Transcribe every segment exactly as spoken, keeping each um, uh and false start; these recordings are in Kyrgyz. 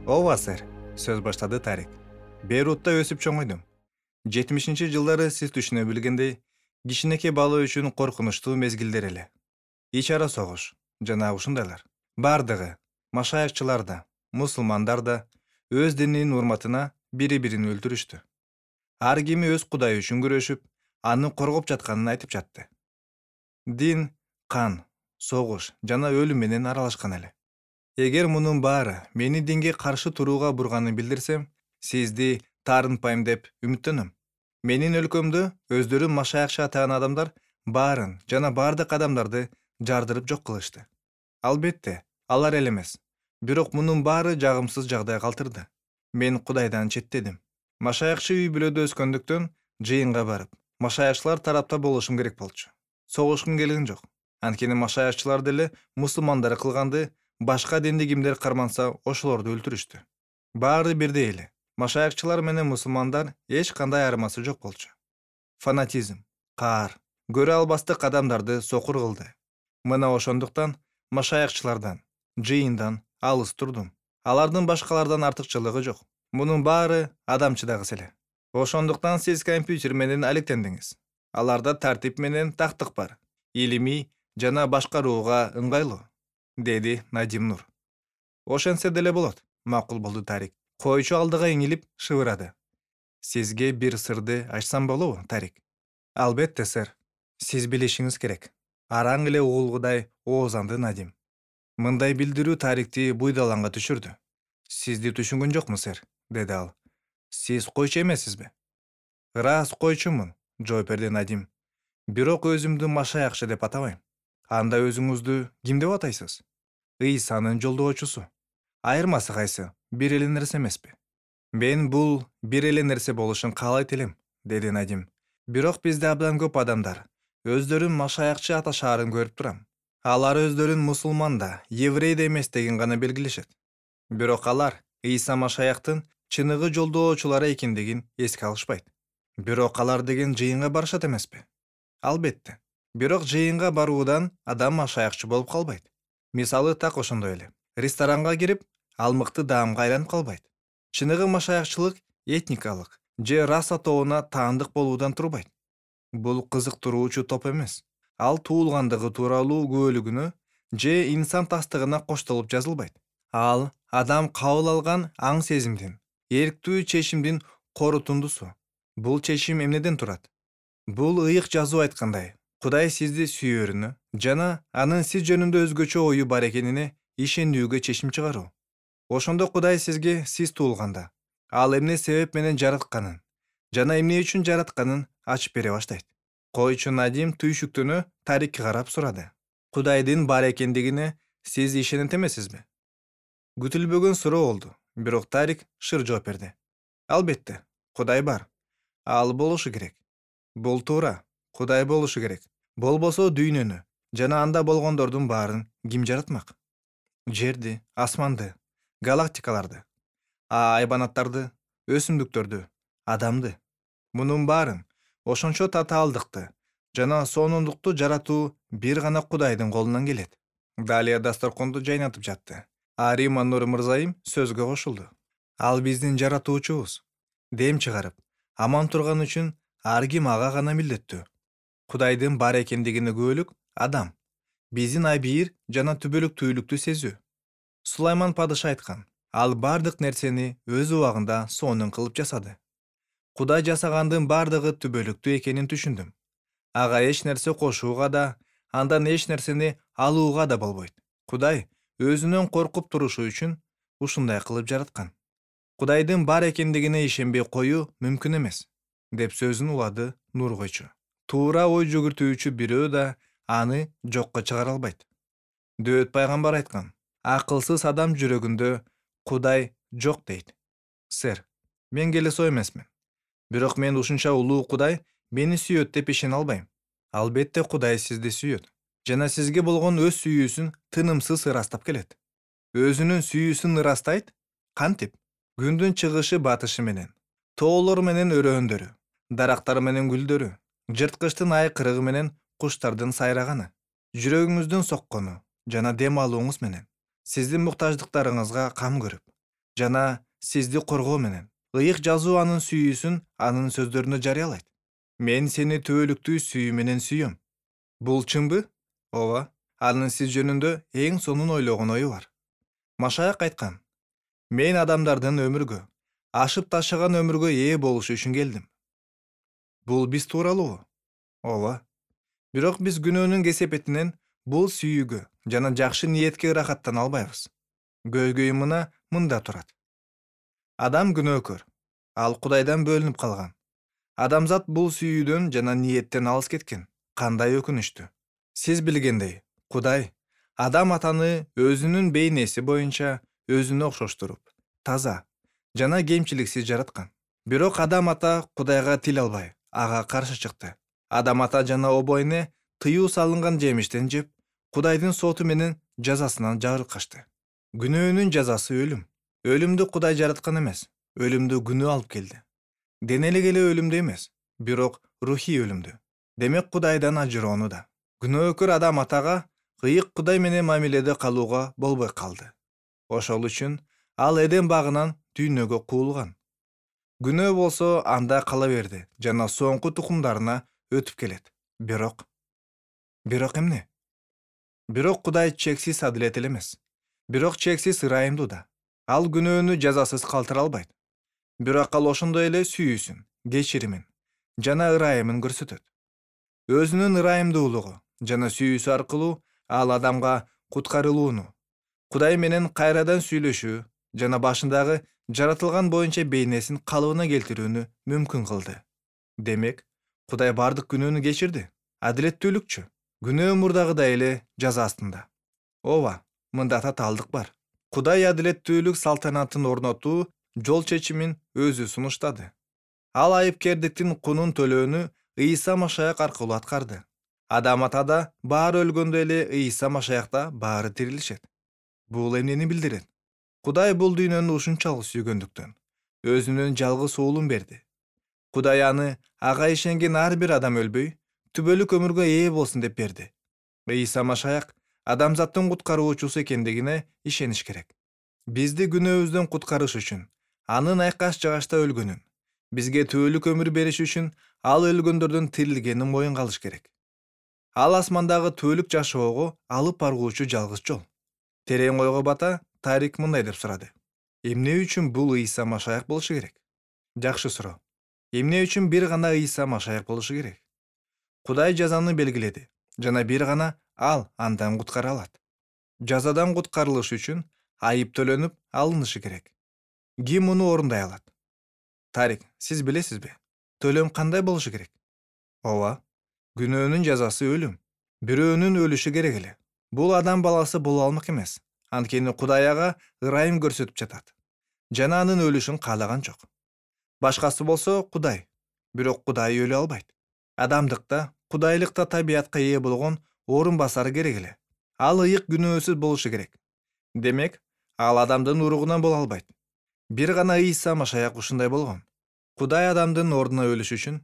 Ооба сэр, сөз баштады Тарик. Бейрутта өсүп чоңойдум. жетимишинчи жылдары сиз түшүнө билгендей, кичинекей бала үчүн коркунучтуу мезгилдер эле. Ич ара согуш жана ушундайлар. Бардыгы, машаякчылар да, мусулмандар да өз дининин урматына бири-бирин өлтүрүштү. Ар кими өз кудайы үчүн күрөшүп, аны коргоп жатканын айтып жатты. Дин, кан, согуш жана өлүм менен аралашкан эле. Эгер мунун баары мени динге каршы турууга бурганын билдирсем, сизди таарынтпайм деп үмүттөнөм. Менин өлкөмдө өздөрүн машаякчы атаган адамдар баарын жана бардык адамдарды жардырып жок кылышты. Албетте, алар эле эмес. Бирок мунун баары жагымсыз жагдай калтырды. Мен Кудайдан четтедим. Машаякчы үй бүлөдө өскөндүктөн жыйынга барып, машаякчылар тарапта болушум керек болчу. Согушкум келген жок. Анткени машаякчылар деле мусулмандар кылганды башка динди кимдер карманса ошолорду өлтүрүштү. Баары бирдей эле. Машаякчылар менен мусулмандар эч кандай айырмасы жок болчу. Фанатизм, каар, көрө албастык адамдарды сокур кылды. Мына ошондуктан машаякчылардан, жыйындан алыс турдум. Алардын башкалардан артыкчылыгы жок. Мунун баары адамчыдагыс эле. Ошондуктан сиз компьютер менен алектендиңиз. Аларда тартип менен тактык бар. Илимий жана башкарууга ыңгайлуу, деди Надим Нур. Ошентсе деле болот, макул болду Тарик. Койчу алдыга эңилип шыбырады. Сизге бир сырды ачсам болобу, Тарик? Албетте, сэр. Сиз билишиңиз керек. Араң эле угулгудай оозанды Надим. Мындай билдирүү Тарикти буйдаланга түшүрдү. Сизди түшүнгөн жокмун, сэр, деди ал. Сиз койчу эмессизби? Ырас койчумун, жооп берди Надим. Бирок өзүмдү машаякчы деп атабайм. Анда өзүңүздү ким деп атайсыз? Ыйсанын жолдоочусу. Айырмасы кайсы? Бир эле нерсе эмеспи? Мен бул бир эле нерсе болушун каалайт элем, деди Надим. Бирок бизде абдан көп адамдар өздөрүн машаякчы аташаарын көрүп турам. Алар өздөрүн мусулман да, еврей да эмес деген гана белгилешет. Бирок алар Ыйса машаяктын чыныгы жолдоочулары экендигин эске алышпайт. Бирок алар деген жыйынга барышат эмеспи? Албетте. Бирок жыйынга баруудан адам машаякчы болуп калбайт. Мисалы так ошондой эле. Ресторанга кирип, ал мыкты даамга айланып калбайт. Чыныгы машаякчылык этникалык же раса тобуна таандык болуудан турбайт. Бул кызыктыруучу топ эмес. Ал туулгандыгы тууралуу күбөлүгүнө же инсан тастыгына коштолуп жазылбайт. Ал адам кабыл алган аң сезимдин, эрктүү чечимдин корутундусу. Бул чечим эмнеден турат? Бул ыйык жазуу айткандай, Кудай сизди сүйөрүнө жана анын сиз жөнүндө өзгөчө ою бар экенине ишенүүгө чечим чыгаруу. Ошондо Кудай сизге сиз туулганда, ал эмне себеп менен жаратканын жана эмне үчүн жаратканын ачып бере баштайт. Койчу Надим түйшүктөнө Тарикке карап сурады. Кудайдын бар экендигине сиз ишенет эмессизби? Күтүлбөгөн суроо болду, бирок Тарик шыр жооп берди. Албетте, Кудай бар. Ал болушу керек. Бул туура. Кудай болушу керек. Болбосо дүйнөнү жана анда болгондордун баарын ким жаратмак? Жерди, асманды, галактикаларды, айбанаттарды, өсүмдүктөрдү, адамды. Мунун баарын ошончо татаалдыкты жана сонундукту жаратуу бир гана Кудайдын колунан келет. Далия дасторконду жайнатып жатты. Арима Нур мырзайым сөзгө кошулду. Ал биздин жаратуучубуз. Дем чыгарып, аман турган үчүн ар ким ага гана милдеттүү. Кудайдын бар экендигине күбөлүк адам. Биздин абийир жана түбөлүктүүлүктү сезүү. Сулайман падыша айткан, ал бардык нерсени өз убагында сонун кылып жасады. Кудай жасагандын бардыгы түбөлүктүү экенин түшүндүм. Ага эч нерсе кошууга да, андан эч нерсени алууга да болбойт. Кудай өзүнөн коркуп турушу үчүн ушундай кылып жараткан. Кудайдын бар экендигине ишенбей коюу мүмкүн эмес, деп сөзүн улады Нур койчу. Туура ой жүгүртүүчү бирөө да аны жокко чыгара албайт. Дөөт пайгамбар айткан, акылсыз адам жүрөгүндө Кудай жок дейт. Сэр, мен келесоо эмесмин. Бирок мен ушунча улуу Кудай мени сүйөт деп ишене албайм. Албетте Кудай сизди сүйөт жана сизге болгон өз сүйүүсүн тынымсыз ырастап келет. Өзүнүн сүйүүсүн ырастайт? Кантип? Күндүн чыгышы батышы менен, тоолор менен өрөөндөрү, дарактар менен гүлдөрү, жырткычтын айкырыгы менен куштардын сайраганы, жүрөгүңүздүн соккону жана дем алууңуз менен, сиздин муктаждыктарыңызга кам көрүп, жана сизди коргоо менен. Ыйык жазуу анын сүйүүсүн анын сөздөрүнө жарыялайт. Мен сени түбөлүктүү сүйүү менен сүйөм. Бул чынбы? Ооба, анын сиз жөнүндө эң сонун ойлогон ою бар. Машаяк айткан: мен адамдардын өмүргө, ашып ташыган өмүргө ээ болуш үчүн келдим. Бул биз тууралуубу? Ооба. Бирок биз күнөөнүн кесепетинен бул сүйүүгө жана жакшы ниетке ырахаттана албайбыз. Көйгөй мына мында турат. Адам күнөөкөр. Ал Кудайдан бөлүнүп калган. Адамзат бул сүйүүдөн жана ниеттен алыс кеткен. Кандай өкүнүчтүү. Сиз билгендей, Кудай Адам атаны өзүнүн бейнеси боюнча өзүнө окшоштуруп, таза жана кемчиликсиз жараткан. Бирок Адам ата Кудайга тил албай, ага каршы чыкты. Адам ата жана обойне тыюу салынган жемиштен жеп, Кудайдын соту менен жазасынан жарылкашты. Күнөөнүн жазасы өлүм. Өлүмдү Кудай жараткан эмес. Өлүмдү күнөө алып келди. Денелик эле өлүмдү эмес, бирок рухий өлүмдү. Демек Кудайдан ажыроону да. Күнөөкөр Адам атага ыйык Кудай менен мамиледе калууга болбой калды. Ошол үчүн ал Эден багынан дүйнөгө куулган. Күнөө болсо анда кала берди жана соңку тукумдарына өтүп келет. Бирок Бирок эмне? Бирок Кудай чексиз адилет эле эмес. Бирок чексиз ырайымдуу да. Ал күнөөнү жазасыз калтыра албайт. Бирок ал ошондой эле сүйүүсүн, кечиримин жана ырайымын көрсөтөт. Өзүнүн ырайымдуулугу жана сүйүүсү аркылуу ал адамга куткарылууну, Кудай менен кайрадан сүйлөшүү жана башындагы жаратылган боюнча бейнесин калыбына келтирүүнү мүмкүн кылды. Демек, Кудай бардык күнөөнү кечирди. Адилеттүүлүкчү? Күнөө мурдагыдай эле жаза астында. Ооба, мында татаалдык бар. Кудай адилеттүүлүк салтанатын орнотуу жол чечимин өзү сунуштады. Ал айыпкердиктин кунун төлөөнү Ыйса Машаяк аркылуу аткарды. Адам атада баары өлгөндө эле Ыйса Машаякта баары тирилишет. Бул эмнени билдирет? Кудай бул дүйнөнү ушунчалык сүйгөндүктөн өзүнүн жалгыз уулун берди. Кудай аны ага ишенген ар бир адам өлбөй, түбөлүк өмүргө ээ болсун деп берди. Ыйса Машаяк адамзаттын куткаруучусу экендигине ишениш керек. Бизди күнөөбүздөн куткарыш үчүн анын айкаш жагачта өлгөнүн, бизге түбөлүк өмүр бериш үчүн ал өлгөндөрдөн тирилгенин моюнга алыш керек. Ал асмандагы түбөлүк жашоого алып баргуучу жалгыз жол. Терең ойго бата Тарик мындай деп сурады: эмне үчүн бул Ыйса Машаяк болушу керек? Жакшы суроо. Эмне үчүн бир гана Ыйса Машаяк болушу керек? Кудай жазаны белгиледи жана бир гана ал андан куткара алат. Жазадан куткарылыш үчүн айып төлөнүп алынышы керек. Ким муну орундай алат? Тарик, сиз билесизби? Төлөм кандай болушу керек? Ооба, күнөөнүн жазасы өлүм. Бирөөнүн өлүшү керек эле. Бул адам баласы боло алмак эмес. Анткени Кудай ага ырайым көрсөтүп жатат жана анын өлүшүн каалаган жок. Башкасы болсо Кудай, бирок Кудай өлө албайт. Адамдыкта, Кудайлыкта табиятка ээ болгон орун басары керек эле. Ал ыйык күнөөсүз болушу керек. Демек, ал адамдын уругунан боло албайт. Бир гана Ыйса Машаяк ушундай болгон. Кудай адамдын ордуна өлүш үчүн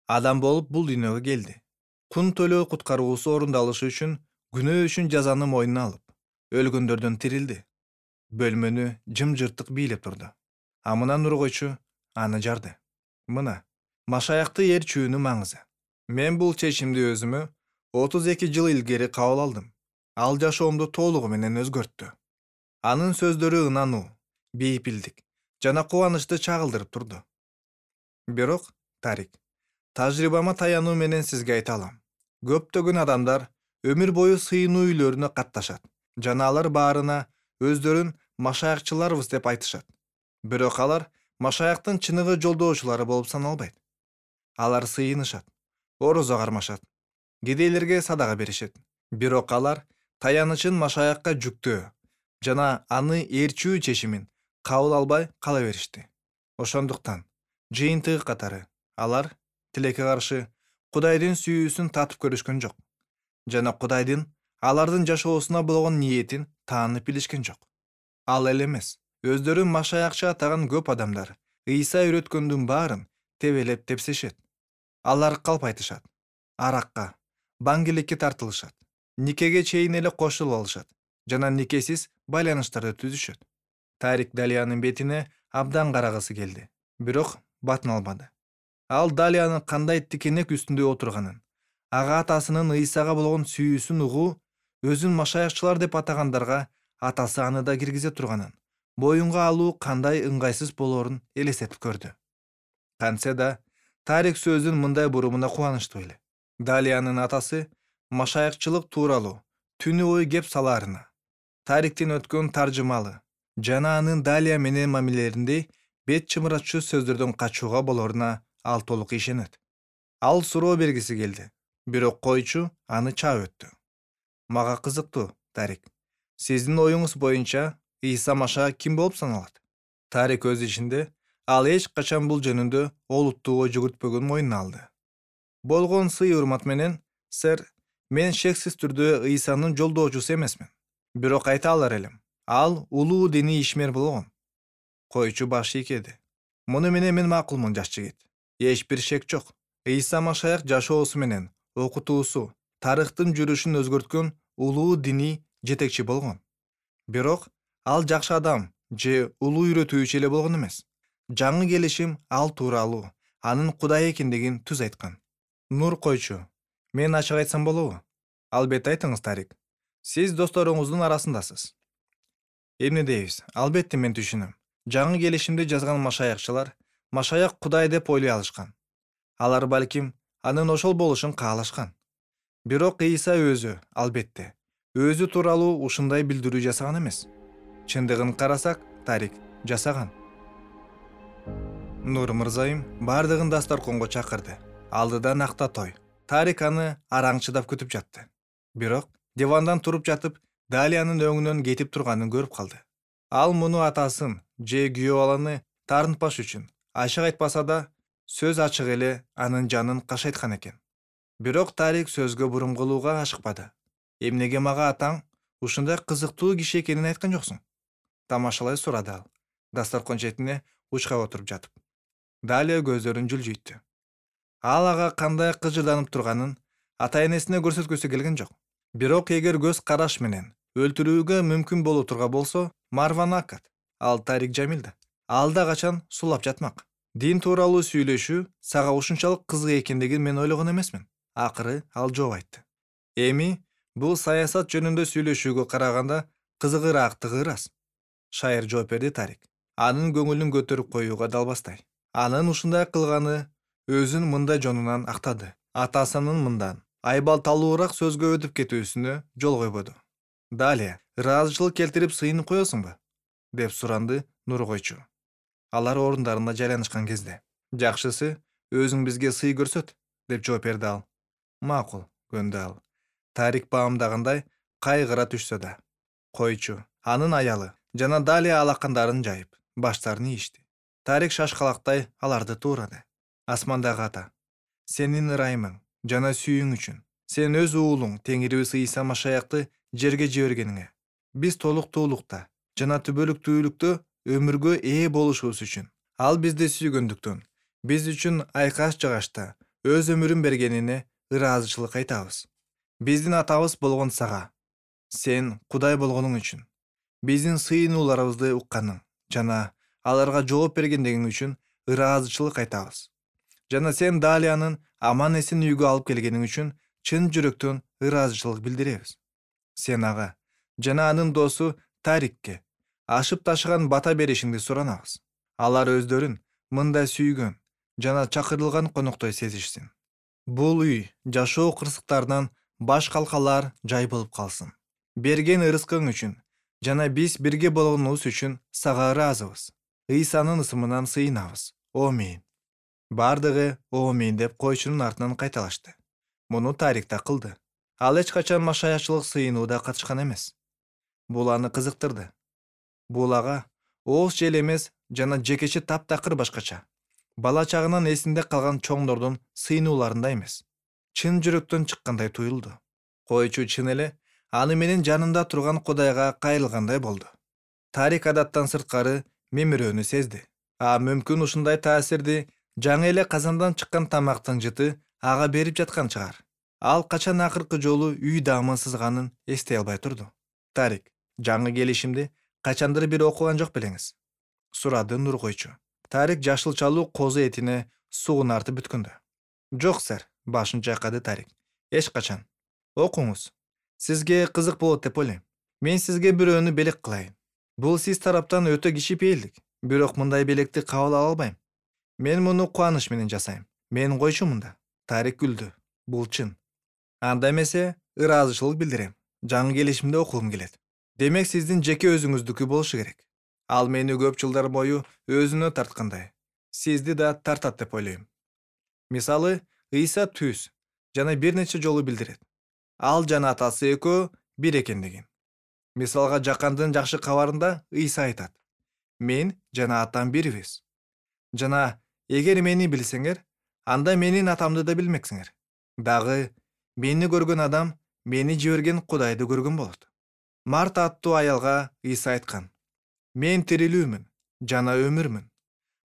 адам болуп бул дүйнөгө келди. Кун төлөө куткаруусу орундалышы үчүн күнөө үчүн жазаны мойнуна алып, өлгөндөрдөн тирилди. Бөлмөнү жымжырттык бийлеп турду. А мына нургойчу аны жарды. Мына, Машаякты ээрчүүнүн маңызы. Мен бул чечимди өзүмө отуз эки жыл илгери кабыл алдым. Ал жашоомду толугу менен өзгөрттү. Анын сөздөрү ынануу, бейпилдик жана кубанычты чагылдырып турду. Бирок, Тарик, тажрыйбама таянуу менен сизге айта алам. Көптөгөн адамдар өмүр бою сыйынуу үйлөрүнө катташат жана алар баарына өздөрүн машаякчыларбыз деп айтышат. Бирок алар Машаяктын чыныгы жолдоочулары болуп саналбайт. Алар сыйынышат, орозо кармашат, кедейлерге садага беришет. Бирок алар таянычын Машаякка жүктөө жана аны ээрчүү чечимин кабыл албай кала беришти. Ошондуктан жыйынтыгы катары алар тилекке каршы Кудайдын сүйүүсүн татып көрүшкөн жок жана Кудайдын алардын жашоосуна болгон ниетин таанып билишкен жок. Ал эле эмес, өздөрүн Машаякчы атаган көп адамдар Ыйса үйрөткөндүн баарын тебелеп тепсешет. Алар калп айтышат, аракка, баңгиликке тартылышат, никеге чейин эле кошулуп алышат жана никесиз байланыштарды түзүшөт. Тарик Далиянын бетине абдан карагысы келди, бирок батын албады. Ал Далиянын кандай тикенек үстүндө отурганын, ага атасынын Ыйсага болгон сүйүүсүн угуу, өзүн машаякчылар деп атагандарга атасы аны да киргизе турганын, боюнга алуу кандай ыңгайсыз болоорун элестетип көрдү. Кантсе да Тарик сөзүн мындай бурумуна кубанычтуу эле. Далиянын атасы машаякчылык тууралуу түнү ой кеп салаарына, Тариктин өткөн таржымалы жана анын Далия менен мамилелеринде бет чымыратчу сөздөрдөн качууга болоруна ал толук ишенет. Ал суроо бергиси келди, бирок койчу аны чаап өттү. Мага кызыктуу, Тарик. Сиздин оюңуз боюнча Ыйса Машаяк ким болуп саналат? Тарик өз ичинде ал эч качан бул жөнүндө олуттуу ой жүгүртпөгөнүн мойнуна алды. Болгон сый урмат менен, сэр, мен шексиз түрдө Ыйсанын жолдоочусу эмесмин. Бирок айта алар элем, ал улуу диний ишмер болгон. Койчу баш ийкеди. Муну менен мен макулмун, жаш жигит. Эч бир шек жок. Ыйса Машаяк жашоосу менен окутуусу тарыхтын жүрүшүн өзгөрткөн улуу диний жетекчи болгон. Бирок ал жакшы адам же улуу үйрөтүүчү эле болгон эмес. Жаңы келишим ал тууралуу анын Кудай экендигин түз айткан. Нур койчу, мен ачык айтсам болобу? Албетте айтыңыз, Тарик. Сиз досторуңуздун арасындасыз. Эмне дейбиз? Албетте мен түшүнөм. Жаңы келишимди жазган машаякчылар Машаяк Кудай деп ойлой алышкан. Алар балким анын ошол болушун каалашкан. Бирок Ыйса өзү, албетте, өзү тууралуу ушундай билдирүү жасаган эмес. Чындыгын карасак, Тарик жасаган. Нур мырзайым бардыгын дасторконго чакырды. Алдыда накта той. Тарик аны араңчыдап күтүп жатты. Бирок дивандан туруп жатып, Далиянын өңүнөн кетип турганын көрүп калды. Ал муну атасын же күйөө баланы таарынтпаш үчүн ачык айтпаса да, сөз ачык эле анын жанын кашайткан экен. Бирок Тарик сөзгө бурум кылууга ашыкпады. Эмнеге мага атаң ушундай кызыктуу киши экенин айткан жоксуң? Тамашалай сурады ал, дасторкон четине учкап отуруп жатып. Далия көздөрүн жылжыйтты. Ал ага кандай кыжырданып турганын ата-энесине көрсөткүсү келген жок. Бирок эгер көз караш менен өлтүрүүгө мүмкүн боло турга болсо, Марваны акат. Ал Тарик Жамилда. Ал да качан сулап жатмак. Дин тууралуу сүйлөшүү сага ушунчалык кызык экендигин мен ойлогон эмесмин. Акыры ал жооп айтты. Эми бул саясат жөнүндө сүйлөшүүгө караганда кызыгыраактыгы ырас. Шайыр жооп берди Тарик. Анын көңүлүн көтөрүп коюуга далбастай. Анын ушундай кылганы өзүн мындай жонунан актады. Атасынын мындан айбалталуураак сөзгө өтүп кетүүсүнө жол койбоду. Далия, ыраазычылык келтирип сыйынып коесуңбу? Деп суранды Нур койчу. Алар орундарына жайланышкан кезде. Жакшысы, өзүң бизге сый көрсөт, деп жооп берди ал. Макул, көндү ал. Тарик баамдагандай кайгыра түшсө да. Койчу, анын аялы жана Далия алакандарын жайып, баштарын ийишти. Тарик шашкалактай аларды туурады. Асмандагы ата, сенин ырайымың жана сүйүүң үчүн сен өз уулуң Теңирибиз Ыйса Машаякты жерге жибергениңе, биз толуктуулукта жана түбөлүктүүлүктө өмүргө ээ болушубуз үчүн, ал бизди сүйгөндүктөн биз үчүн айкаш жагашта өз өмүрүн бергенине ыраазычылык айтабыз. Биздин атабыз болгон сага, сен Кудай болгонуң үчүн, биздин сыйынууларыбызды укканың жана аларга жооп бергендигиң үчүн ыраазычылык айтабыз. Жана сен Далиянын аман эсен үйгө алып келгениң үчүн чын жүрөктөн ыраазычылык билдиребиз. Сен ага жана анын досу Тарикке ашып ташыган бата беришиңди суранабыз. Алар өздөрүн мындай сүйгөн жана чакырылган коноктой сезишсин. Бул үй жашоо кырсыктарынан баш калкалар жай болуп калсын. Берген ырыскың үчүн жана биз бирге болгонубуз үчүн сага ыраазыбыз. Ыйсанын ысымынан сыйынабыз. Омейин. Бардыгы омейин деп койчунун артынан кайталашты. Муну Тарик да кылды. Ал эч качан машаячылык сыйынууда катышкан эмес. Бул аны кызыктырды. Бул ага ооз жел эмес жана жекече таптакыр башкача. Бала чагынан эсинде калган чоңдордун сыйынууларында эмес. Чын жүрөктөн чыккандай туюлду. Койчу чын эле аны менен жанында турган Кудайга кайрылгандай болду. Тарик адаттан сырткары мемирөөнү сезди. А мүмкүн ушундай таасирди жаңы эле казандан чыккан тамактын жыты ага берип жаткан чыгар. Ал качан акыркы жолу үй даамын сызганын эстей албай турду. Тарик, жаңы келишимди Качандыр бир окуган жок белеңиз? Сурады Нургойчу. Тарик жашылчалуу козу этине суун артып бүткөндө. Жок, сэр, башын чайкады Тарик. Эч качан. Окуңуз. Сизге кызык болот деп ойлойм. Мен сизге бирөөнү белек кылайын. Бул сиз тараптан өтө кичипейилдик, бирок мындай белекти кабыл ала албайм. Мен муну кубаныч менен жасайм. Мен койчу мында. Тарик күлдү. Бул чын. Анда эмесе, ыраазычылык билдирем. Жаңы келишимди окугум келет. Демек сиздин жеке өзүңүздүкү болушу керек. Ал мени көп жылдар бою өзүнө тарткандай. Сизди да тартат деп ойлойм. Мисалы, Ыйса түз жана бир нече жолу билдирет. Ал жана атасы экөө бир экендигин. Мисалга, Жакандын жакшы кабарында Ыйса айтат: "Мен жана атам бирбиз." Жана эгер мени билсеңер, анда менин атамды да билмексиңер. Дагы мени көргөн адам мени жиберген Кудайды көргөн болот. Марта аттуу аялга Ыйса айткан: "Мен тирилүүмүн жана өмүрмүн.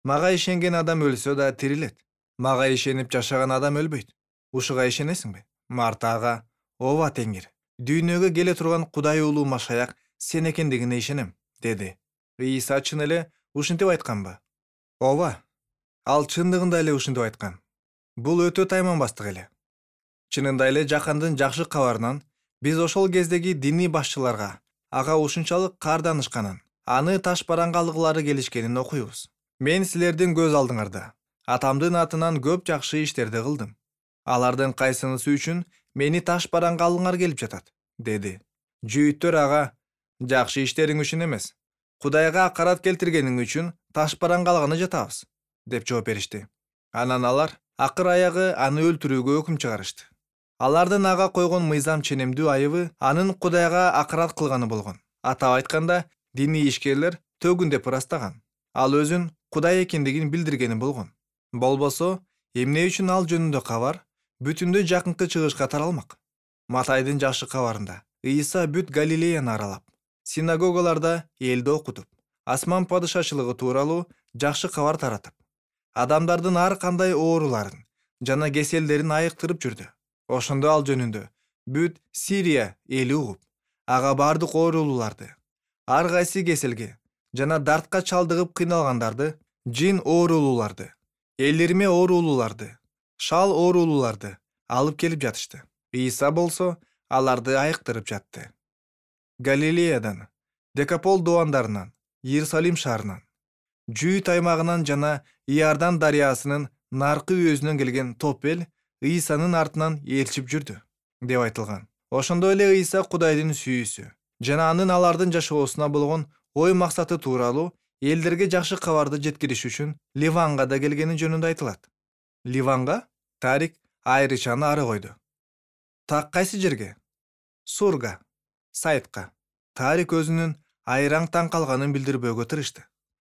Мага ишенген адам өлсө да тирилет. Мага ишенип жашаган адам өлбөйт. Ушуга ишенесиңби?" Марта ага: "Ооба, Теңир. Дүйнөгө келе турган Кудай уулу Машаяк сен экендигине ишенем", деди. Ыйса чын эле ушинтип айтканбы? Ооба. Ал чындыгында эле ушинтип айткан. Бул өтө тайманбастык эле. Чынында эле Жакандын жакшы кабарынан биз ошол кездеги диний башчыларга ага ушунчалык карданышканын, аны таш бараңга алгылары келишкенин окуйбуз. Мен силердин көз алдыңарда атамдын атынан көп жакшы иштерди кылдым. Алардын кайсынысы үчүн мени таш бараңга алгыңар келип жатат, деди. Жүйүттөр ага: "Жакшы иштериң үчүн эмес, Кудайга акарат келтиргениң үчүн таш бараңга алганы жатабыз", деп жооп беришти. Анан алар акыр аягы аны өлтүрүүгө өкүм чыгарышты. Алардын ага койгон мыйзам ченемдүү айыбы анын Кудайга акарат кылганы болгон. Атап айтканда, диний ишкерлер төгүндөп ырастаган. Ал өзүн Кудай экендигин билдиргени болгон. Болбосо, эмне үчүн ал жөнүндө кабар бүтүндөй жакынкы чыгышка таралмак? Матайдын жакшы кабарында Ыйса бүт Галилеяны аралап, синагогаларда элди окутуп, асман падышачылыгы тууралуу жакшы кабар таратып, адамдардын ар кандай ооруларын жана кеселдерин айыктырып жүрдү. Ошондо ал жөнүндө бүт Сирия эли угуп, ага бардык оорулууларды, ар кайсы кеселге жана дартка чалдыгып кыйналгандарды, жин оорулууларды, элирме оорулууларды, шал оорулууларды алып келип жатышты. Ыйса болсо аларды айыктырып жатты. Галилеядан, Декапол доондарынан, Иерусалим шаарынан, Жүйүт аймагынан жана Иордан дарыясынын наркы үйөзүнөн келген топ эл Ыйсанын артынан ээрчип жүрдү, деп айтылган. Ошондой эле Ыйса Кудайдын сүйүүсү жана анын алардын жашоосуна болгон ой максаты тууралуу элдерге жакшы кабарды жеткириш үчүн Ливанга да келгени жөнүндө айтылат. Ливанга? Тарик айрычаны ары койду. Так кайсы жерге? Сурга, Сайтка. Тарик өзүнүн айраң таң калганын билдирбөөгө тырышты.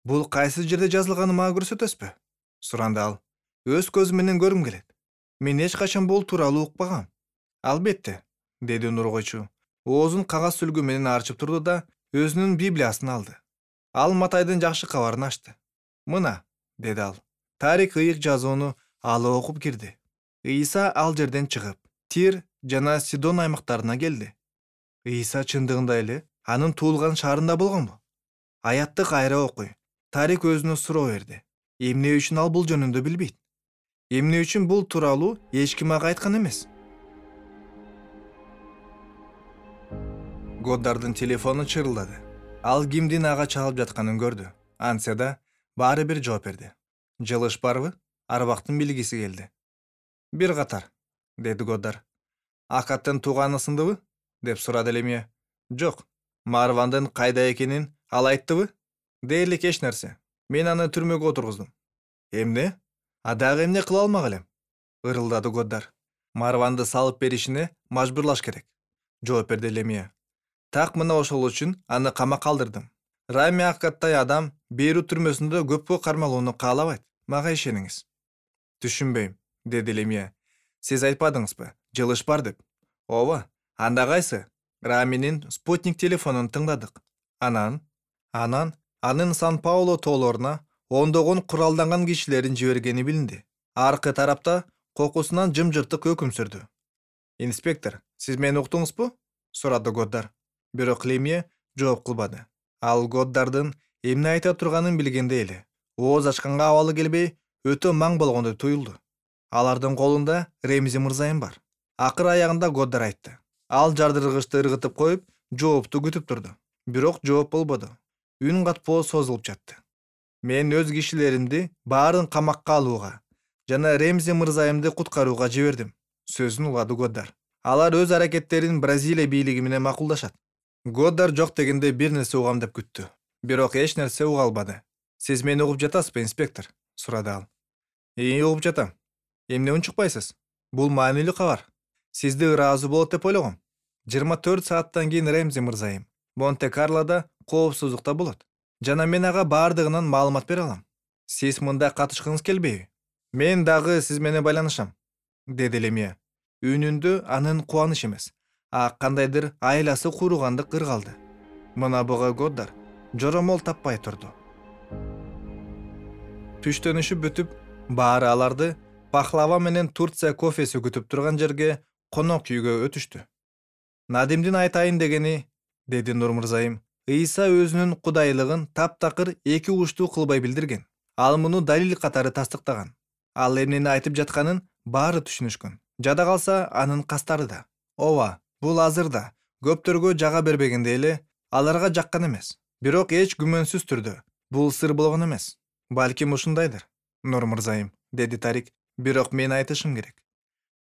Бул кайсы жерде жазылганы мага көрсөтөсүзбү? Суранды ал. Өз көзүм менен көргүм келет. Мен эч качан бул тууралуу укпагам. Албетте, деди Нургойчу. Оозун кагаз сүлгү менен арчып турду да өзүнүн Библиясын алды. Ал Матайдын жакшы кабарын ачты. "Мына", деди ал. Тарик ыйык жазууну алып окуп кирди. Ыйса ал жерден чыгып, Тир жана Сидон аймактарына келди. Ыйса чындыгында эле анын туулган шаарында болгонбу? Аятты кайра окуй. Тарик өзүнө суроо берди. Эмне үчүн ал бул жөнүндө билбейт? Эмне үчүн бул тууралуу эч ким ага айткан эмес? Годдардын телефону чырылдады. Ал кимдин ага чалып жатканын көрдү. Антсе да баары бир жооп берди. "Жылыш барбы?" Арбактын билгиси келди. "Бир катар", деди Годдар. "Акаттын тууганы сындыбы?" деп сурады Лемия. "Жок. Марвандын кайда экенин ал айттыбы?" "Дээрлик эч нерсе. Мен аны түрмөгө отургуздум." "Эмне? А дагы эмне кыла алмак элем?" ырылдады Годдар. "Марванды салып беришине мажбурлаш керек", жооп берди Лемия. "Так мына ошол үчүн аны камакка алдырдым. Рами Аккаттай адам Бейрут түрмөсүндө көпкө кармалууну каалабайт. Мага ишениңиз." "Түшүнбөйм", деди Лемия. "Сиз айтпадыңызбы, жылыш бар деп?" "Ооба. Анда кайсы?" Раминин спутник телефонун тыңдадык. Анан, анан анын Сан-Пауло тоолоруна ондогон куралданган кишилерин жибергени билинди. Аркы тарапта кокусунан жымжыртык өкүм сүрдү. "Инспектор, сиз мени уктуңузбу?" сурады Годдар. Бирок Лемия жооп кылбады. Ал Годдардын эмне айта турганын билгендей эле ооз ачканга абалы келбей өтө маң болгондой туюлду. Алардын колунда Ремзи мырзайым бар. Акыр аягында Годдар айтты. Ал жардыргычты ыргытып коюп, жоопту күтүп турду. Бирок жооп болбоду. Үн катпоо созулуп жатты. Мен өз кишилеримди баарын камакка алууга жана Ремзи мырзайымды куткарууга жибердим. Сөзүн улады Годдар. Алар өз аракеттерин Бразилия бийлиги менен макулдашат. Годдар жок дегенде бир нерсе угам деп күттү. Бирок эч нерсе уга албады. Сиз мени угуп жатасызбы, инспектор? Сурады ал. Ии, угуп жатам. Эмне унчукпайсыз? Бул маанилүү кабар. Сизди ыраазы болот деп ойлогом. жыйырма төрт сааттан кийин Ремзи мырзайым Монте-Карлода коопсуздукта болот. Жана мен ага баардыгынан маалымат бере алам. Сиз мында катышкыңыз келбейби? Мен дагы сиз менен байланышам, деди Лемия. Үнүндө анын кубаныч эмес, а кандайдыр айласы кууругандык ыргалды. Мына буга Годдар жоромол таппай турду. Түштөнүшүп бүтүп, баары аларды пахлава менен Турция кофеси күтүп турган жерге конок үйгө өтүштү. Надимдин айтайын дегени, деди Нур мырзайым, Ыйса өзүнүн кудайлыгын таптакыр эки учтуу кылбай билдирген. Ал муну далил катары тастыктаган. Ал эмнени айтып жатканын баары түшүнүшкөн. Жада калса анын кастары да. Ооба, бул азыр да көптөргө жага бербегенде эле аларга жаккан эмес. Бирок эч күмөнсүз түрдө бул сыр болгон эмес. Балким ушундайдыр, Нур мырзайым, деди Тарик. Бирок мен айтышым керек.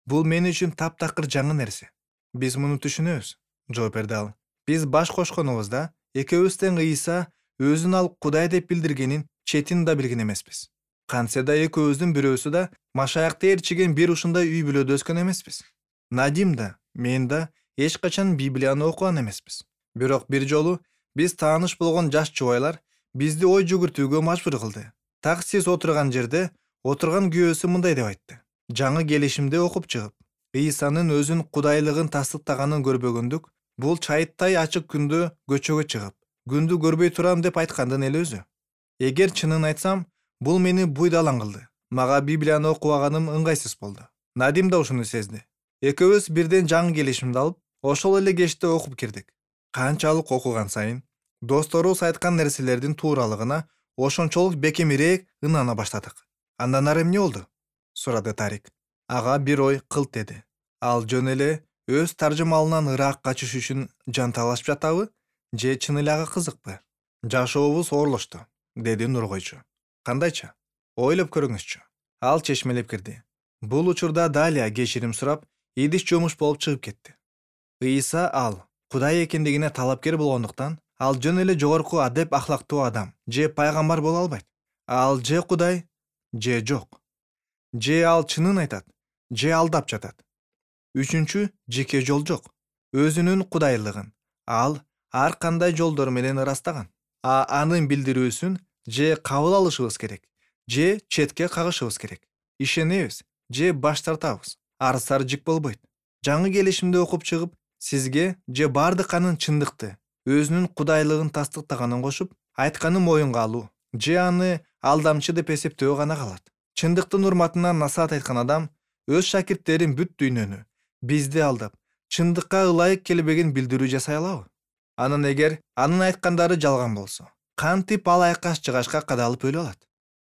Бул мен үчүн таптакыр жаңы нерсе. Биз муну түшүнөбүз, жооп берди ал. Биз баш кошконубузда экөөбүз тең Ыйса өзүн ал Кудай деп билдиргенин четин да билген эмеспиз. Кантсе да экөөбүздүн бирөөсү да Машаякты ээрчиген бир ушундай үй бүлөдө өскөн эмеспиз. Надим да, мен да эч качан Библияны окуган эмеспиз. Бирок бир жолу биз тааныш болгон жаш жубайлар бизди ой жүгүртүүгө мажбур кылды. Так сиз отурган жерде отурган күйөөсү мындай деп айтты. Жаңы келишимде окуп чыгып, Ыйсанын өзүн кудайлыгын тастыктаганын көрбөгөндүк бул чайыттай ачык күндө көчөгө чыгып, күндү көрбөй турам деп айткандын эле өзү. Эгер чынын айтсам, бул мени буйдалаң кылды. Мага Библияны окубаганым ыңгайсыз болду. Надим да ушуну сезди. Экөөбүз бирден жаңы келишимди алып, ошол эле кечте окуп кирдик. Канчалык окуган сайын досторубуз айткан нерселердин тууралыгына ошончолук бекемирээк ынана баштадык. Андан ары эмне болду? Сурады Тарик. Ага бир ой кылт эди. Ал жөн эле өз таржымалынан ыраак качыш үчүн жанталашып жатабы, же чын эле ага кызыкпы? Жашообуз оорлошту, деди Нургойчу. Кандайча? Ойлоп көрүңүзчү. Ал чечмелеп кирди. Бул учурда Далия кечирим сурап, идиш жумуш болуп чыгып кетти. Ыйса ал Кудай экендигине талапкер болгондуктан, ал жөн эле жогорку адеп ахлактуу адам же пайгамбар боло албайт. Ал же Кудай, же жок. Же ал чынын айтат, же алдап жатат. Үчүнчү жеке жол жок. Өзүнүн кудайлыгын ал ар кандай жолдор менен ырастаган. А анын билдирүүсүн же кабыл алышыбыз керек, же четке кагышыбыз керек. Ишенебиз, же баш тартабыз. Арсар жик болбойт. Жаңы келишимде окуп чыгып, сизге же бардык анын чындыкты, өзүнүн кудайлыгын тастыктаганын кошуп, айтканын моюнга алуу, же аны алдамчы деп эсептөө гана калат. Чындыктын урматына насаат айткан адам өз шакирттерин бүт дүйнөнү, бизди алдап, чындыкка ылайык келбеген билдирүү жасай алабы? Анан эгер анын айткандары жалган болсо, кантип ал айкаш жыгашка кадалып өлө алат?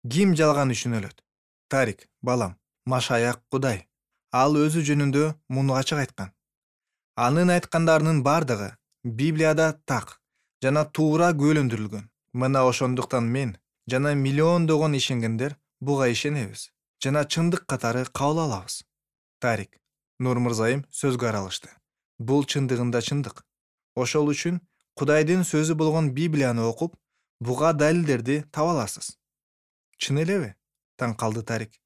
Ким жалган үчүн өлөт? Тарик, балам, Машаяк Кудай. Ал өзү жөнүндө муну ачык айткан. Анын айткандарынын бардыгы Библияда так жана туура күбөлөндүрүлгөн. Мына ошондуктан мен жана миллиондогон ишенгендер буга ишенебиз жана чындык катары кабыл алабыз. Тарик, Нур мырзайым сөзгө аралашты. Бул чындыгында чындык. Ошол үчүн Кудайдын сөзү болгон Библияны окуп, буга далилдерди таба аласыз. Чын элеби? Таң калды Тарик.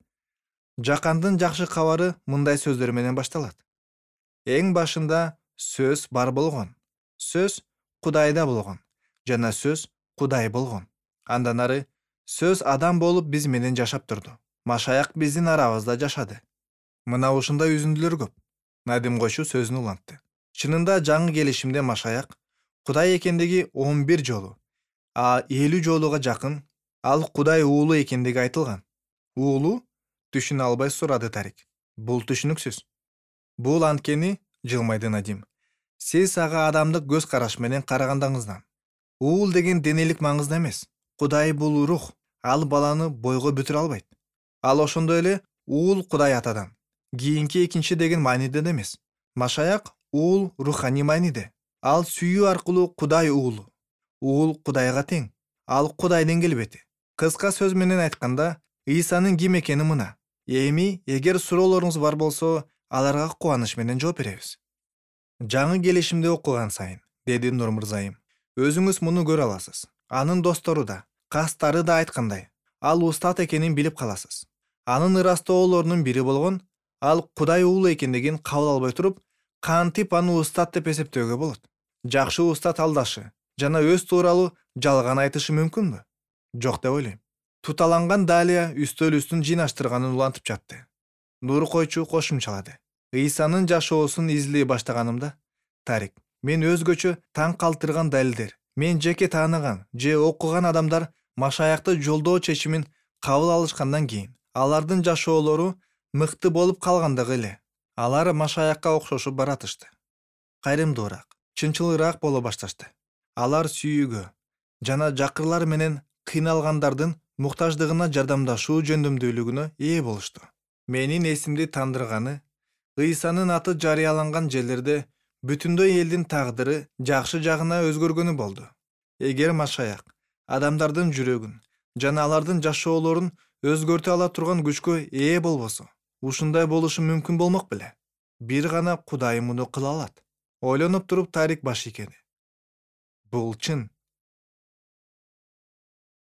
Жакандын жакшы кабары мындай сөздөр менен башталат. Эң башында сөз бар болгон. Сөз Кудайда болгон. Жана сөз Кудай болгон. Андан ары сөз адам болуп биз менен жашап турду. Машаяк биздин арабызда жашады. Мына ушундай үзүндүлөр көп. Надим койчу сөзүн улантты. Чынында жаңы келишимде Машаяк Кудай экендиги он бир жолу, а элүү жолуга жакын ал Кудай уулу экендиги айтылган. Уулу? Түшүнө албай сурады Тарик. Бул түшүнүксүз. Бул анткени, жылмайды Надим, сиз ага адамдык көз караш менен карагандыгыңыздан. Уул деген денелик маңызда эмес. Кудай бул рух. Ал баланы бойго бүтүрө албайт. Ал ошондой эле уул Кудай атадан. Кийинки экинчи деген мааниде да эмес. Машаяк уул руханий мааниде. Ал сүйүү аркылуу Кудай уулу. Уул Кудайга тең. Ал Кудайдын келбети. Кыска сөз менен айтканда, Ыйсанын ким экени мына. Эми эгер суроолоруңуз бар болсо, аларга кубаныч менен жооп беребиз. Жаңы келишимде окуган сайын, деди Нур мырзайым, өзүңүз муну көрө аласыз. Анын достору да, кастары да айткандай, ал устат экенин билип каласыз. Анын ырастуу оолорунун бири болгон, ал Кудай уулу экендигин кабыл албай туруп, кантип аны устат деп эсептөөгө болот? Жакшы устат алдашы жана өз тууралуу жалган айтышы мүмкүнбү? Жок деп ойлойм. Туталанган Далия үстөл үстүн жыйнаштырганын улантып жатты. Нур койчу кошумчалады. Ыйсанын жашоосун изилдей баштаганымда, Тарик, мен өзгөчө таң калтырган далилдер, мен жеке тааныган же окуган адамдар Машаякты жолдоо чечимин кабыл алышкандан кийин, алардын жашоолору мыкты болуп калгандыгы эле. Алар Машаякка окшошуп баратышты. Кайрымдуураак, чынчылыраак боло башташты. Алар сүйүүгө жана жакырлар менен кыйналгандардын муктаждыгына жардамдашуу жөндөмдүүлүгүнө ээ болушту. Менин эсимди тандырганы, Ыйсанын аты жарыяланган жерлерде бүтүндөй элдин тагдыры жакшы жагына өзгөргөнү болду. Эгер Машаяк адамдардын жүрөгүн жана алардын жашоолорун өзгөртө ала турган күчкө ээ болбосо, ушундай болушу мүмкүн болмок беле? Бир гана Кудай муну кыла алат. Ойлонуп туруп Тарик баш ийгеди. Бул чын.